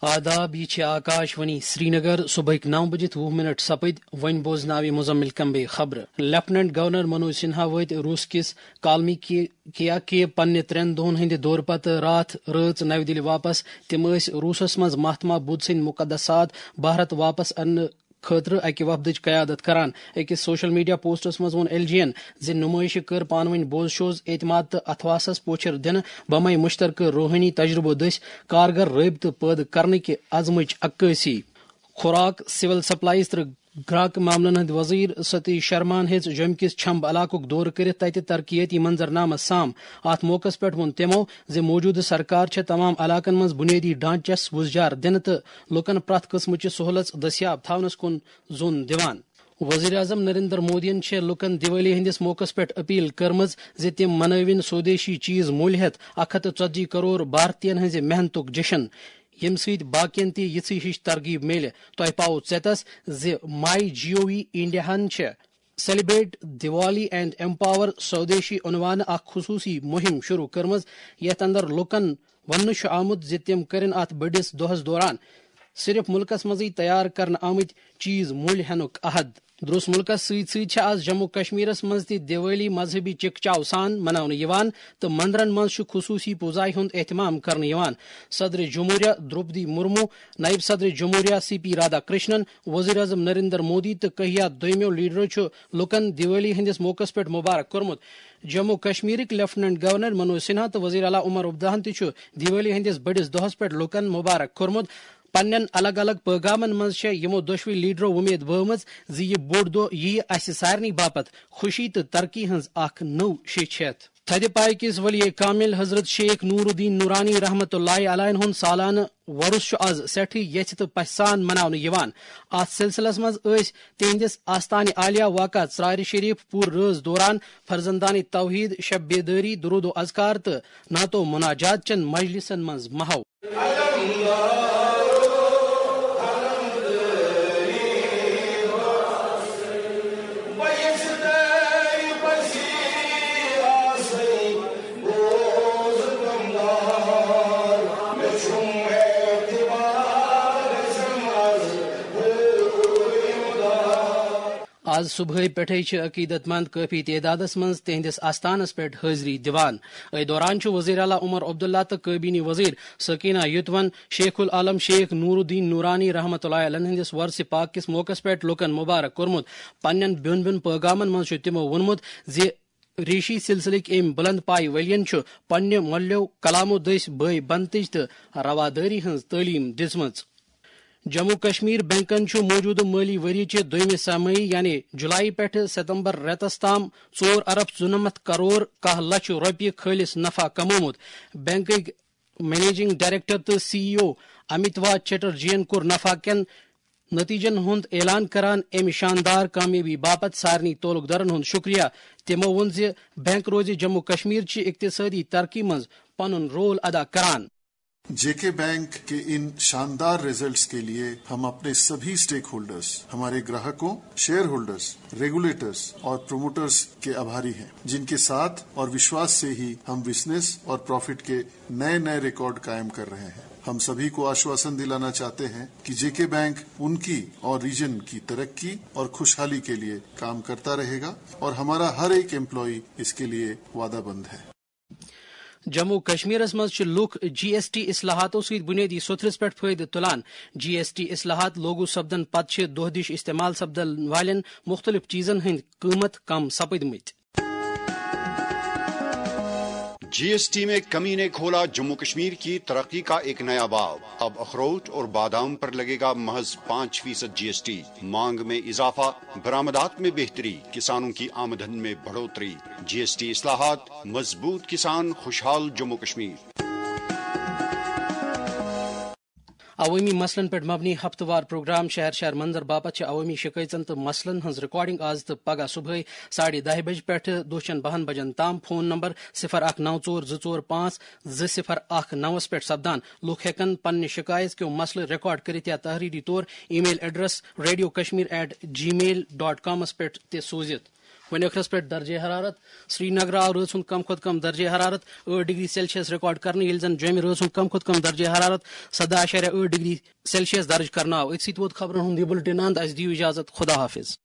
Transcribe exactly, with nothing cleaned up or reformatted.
آداب، یہِ چھِ آکاش وانی سرینگر۔ صبحٕکۍ نَو بجِتھ وُہ منٹ سپٕدۍ، وۄنۍ بوزناوِ مزمل کمبے خبرٕ۔ لیفٹیننٹ گورنر منوج سنہا وٲتۍ روس کِس کالمی کی-، کیا کے پننہِ ترٛٮ۪ن دۄہن ہٕنٛدِ دورٕ پتہٕ راتھ رٲژ نَوِ دِلہِ واپس۔ تِم ٲسۍ روسس منٛز مہاتما بدھ سٕنٛدۍ مقدسات بھارت واپس اننہٕ خٲطرٕ اکہِ وفدٕچ قیادت کران۔ أکِس سوشل میڈیا پوسٹس منٛز ووٚن ایل جی ین زِ نمٲیشہِ کٔر پانہٕ ؤنۍ بوز شوز، اعتماد تہٕ اتھواسس پوچھر دِنہٕ بمے مشترکہٕ روحٲنی تجربو دٔسۍ کارگر رٲبطہٕ پٲدٕ کرنٕکہِ عزمٕچ عکٲسی۔ خوراک، سول سپلائز تہٕ گراکہٕ معاملن ہٕنٛدۍ وزیر ستیش شرماہن ہیٚژ جوٚمہِ کِس چھمب علاقُک دورٕ کٔرِتھ تتہِ ترقیٲتی منظرنامس سام۔ اتھ موقعس پٮ۪ٹھ ووٚن تِمو زِ موجودٕ سرکار چھےٚ تمام علاقن منٛز بنیٲدی ڈھانچس وُزجار دِنہٕ تہٕ لوٗکن پرٛٮ۪تھ قٕسمٕچہِ سہولژ دٔستیاب تھاونس کُن زوٚن دِوان۔ وزیر اعظم نریندر مودیَن چھےٚ لوٗکن دیوالی ہٕنٛدِس موقعس پٮ۪ٹھ اپیل کٔرمٕژ زِ تِم منٲوِن سودیشی چیز مٔلۍ ہٮ۪تھ اکھ ہتھ تہٕ ژتجی کرور بھارتین ہٕنٛزِ محنتُک جشن، ییٚمہِ سۭتۍ باقین تہِ یِژھٕے ہِش ترغیب میلہِ۔ تۄہہِ پاوو ژیتس زِ مائی جی او وی انڈیاہَن چھےٚ Celebrate Diwali and Empower Swadeshi عنوانہٕ اکھ خصوصی مہم شروع کٔرمٕژ، یتھ اندر لوٗکن وننہٕ چھُ آمُت زِ تِم کٔرِن اتھ بٔڑِس دۄہس دوران صرف مُلکس منٛزٕے تیار کرنہٕ آمٕتۍ چیز مٔلۍ ہینُک عہد۔ درٛوس مُلکس سۭتۍ سۭتۍ چھِ آز جموں کشمیرس منٛز تہِ دیوالی مذہبی چکچاو سان مناونہٕ یِوان تہٕ مندرن منٛز چھُ خصوصی پوٗزایہِ ہُنٛد اہتمام کرنہٕ یِوان۔ صدر جمہوریہ درٛوپدی مرمو، نائب صدر جمہوریہ سی پی رادھا کرشنن، وزیر اعظم نریندر مودی تہٕ کہیا دویمو لیڈرو چھُ لوٗکن دیوالی ہٕنٛدِس موقعس پٮ۪ٹھ مبارک کوٚرمُت۔ جموں کشمیرٕکۍ لیفٹیننٹ گورنر منوج سنہا تہٕ وزیر اعلیٰ عمر عبداللہن تہِ چھُ دیوالی ہٕنٛدِس بٔڑِس دۄہس پٮ۪ٹھ لوٗکن مبارک کوٚرمُت۔ پننٮ۪ن الگ الگ پٲغامن منٛز چھےٚ یِمو دۄشوٕے لیڈرو وۄمید بٲومٕژ زِ یہِ بوٚڑ دۄہ یِیہِ اسہِ سارنٕے باپتھ خوشی تہٕ ترقی ہٕنٛز اکھ نٔو شیٚچھ ہٮ۪تھ۔ تھدِ پایہِ کِس ولی کامل حضرت شیخ نور الدین نورانی رحمتہ اللہ علیہ ہُنٛد سالانہٕ وۄرُس چھُ از سٮ۪ٹھٕے یژھِ تہٕ پژھِ سان مناونہٕ یِوان۔ اتھ سلسلس منٛز ٲسۍ تِہنٛدِس آستانہِ عالیہ واقع ژرارِ شریف پوٗرٕ رٲژ دوران فرزندانِ توحید، شب بیدٲری، درود و اذکار تہٕ نعت و مناجات چٮ۪ن مجلسن منٛز محو۔ آز صبحٲے پٮ۪ٹھَے چھِ عقیدت مند کٲفی تعدادَس منٛز تِہنٛدِس آستانَس پٮ۪ٹھ حٲضری دِوان۔ أتھۍ دوران چھُ وزیر اعلیٰ عمر عبداللہ تہٕ کابینی وزیر سکینہ یوتون شیخ العالم شیخ نور الدین نورانی رحمتہ اللہ علیہ ہٕنٛدِس وۄرثِ پاک کِس موقعس پٮ۪ٹھ لوٗکَن مبارک کوٚرمُت۔ پننٮ۪ن بیوٚن بیوٚن پٲغامَن منٛز چھُ تِمو ووٚنمُت زِ ریشی سلسلٕکۍ أمۍ بلند پایہِ ؤلین چھُ پننہِ مۄلیو کلامو دٔسۍ بٲے بنتٕج تہٕ روادٲری ہٕنٛز تعلیٖم دِژمٕژ۔ جموں کشمیر بینکن چھُ موجودٕ مٲلی ؤری چہِ دوٚیمہِ سہ ماہی یعنی جولائی پٮ۪ٹھٕ ستمبر رٮ۪تس تام ژور ارب ژُنمتھ کرور کاہ لچھ رۄپیہِ خٲلص نفع کمومُت۔ بینکٕکۍ منیجنگ ڈائریکٹر تہٕ سی ای او امیتوا چٹرجین کوٚر نفع کٮ۪ن نتیجن ہُنٛد اعلان کران امہِ شاندار کامیٲبی باپتھ سارنٕے تعلقدارن ہُنٛد شکریہ۔ تِمو ووٚن زِ بینک روزِ جموں کشمیر چہِ اقتصٲدی ترقی منٛز پنُن رول ادا کران۔ जेके बैंक के इन शानदार रिजल्ट्स के लिए हम अपने सभी स्टेकहोल्डर्स, हमारे ग्राहकों, शेयरहोल्डर्स, रेगुलेटर्स और प्रमोटर्स के आभारी हैं, जिनके साथ और विश्वास से ही हम बिजनेस और प्रॉफिट के नए नए रिकॉर्ड कायम कर रहे हैं। हम सभी को आश्वासन दिलाना चाहते हैं कि जेके बैंक उनकी और रीजन की तरक्की और खुशहाली के लिए काम करता रहेगा और हमारा हर एक एम्प्लॉई इसके लिए वादाबंद है। جموں و کشمیرس منٛز چھِ لوٗکھ جی ایس ٹی اصلاحاتو سۭتۍ بُنیٲدی سوٚتھرِس پٮ۪ٹھ فٲیدٕ تُلان۔ جی ایس ٹی اصلاحات لاگو سپدن پتہٕ چھِ دۄہ دِش استعمال سپدن والٮ۪ن مُختٔلِف چیٖزن ہٕنٛدۍ قۭمت کم سپٕدمٕتۍ۔ جی ایس ٹی میں کمی نے کھولا جموں کشمیر کی ترقی کا ایک نیا باب۔ اب اخروٹ اور بادام پر لگے گا محض پانچ فیصد جی ایس ٹی۔ مانگ میں اضافہ، برآمدات میں بہتری، کسانوں کی آمدن میں بڑھوتری۔ جی ایس ٹی اصلاحات، مضبوط کسان، خوشحال جموں کشمیر۔ عوٲمی مسلن پٮ۪ٹھ مبنی ہفتہٕ وار پروگرام شہر شہر منظر باپتھ چھِ عوٲمی شِکٲیژن تہٕ مسلن ہٕنٛز ریکارڈنگ آز تہٕ پگاہ صبحٲے ساڑھے دَہہِ بجہِ پٮ۪ٹھٕ دۄہ چٮ۪ن بَہَن بجن تام۔ فون نمبر صفر اکھ نو ژور زٕ ژور پانٛژھ زٕ صفر اکھ نوَس پٮ۪ٹھ سپدان۔ لوٗکھ ہٮ۪کَن پننہِ شِکایت کیو مسلہٕ ریکارڈ کٔرِتھ یا تحریری طور email address radio Kashmir at Gmail dot کامَس پٮ۪ٹھ تہِ سوٗزِتھ۔ وۄنۍ ٲخرس پٮ۪ٹھ درجہ حرارت۔ سرینگر آو رٲژ ہُنٛد کم کھۄتہٕ کم درجہ حرارت ٲٹھ ڈگری سیلسیس ریکارڈ کرنہٕ، ییٚلہِ زن جوٚمہِ رٲژ ہُنٛد کم کھۄتہٕ کم درجہ حرارت سداہ اعشاریہ ٲٹھ ڈگری سیلسیس درج کرنہٕ آو۔ أتھۍ سۭتۍ ووت خبرن ہُنٛد یہِ بُلٹن اند۔ اسہِ دِیِو اجازت، خدا حافظ۔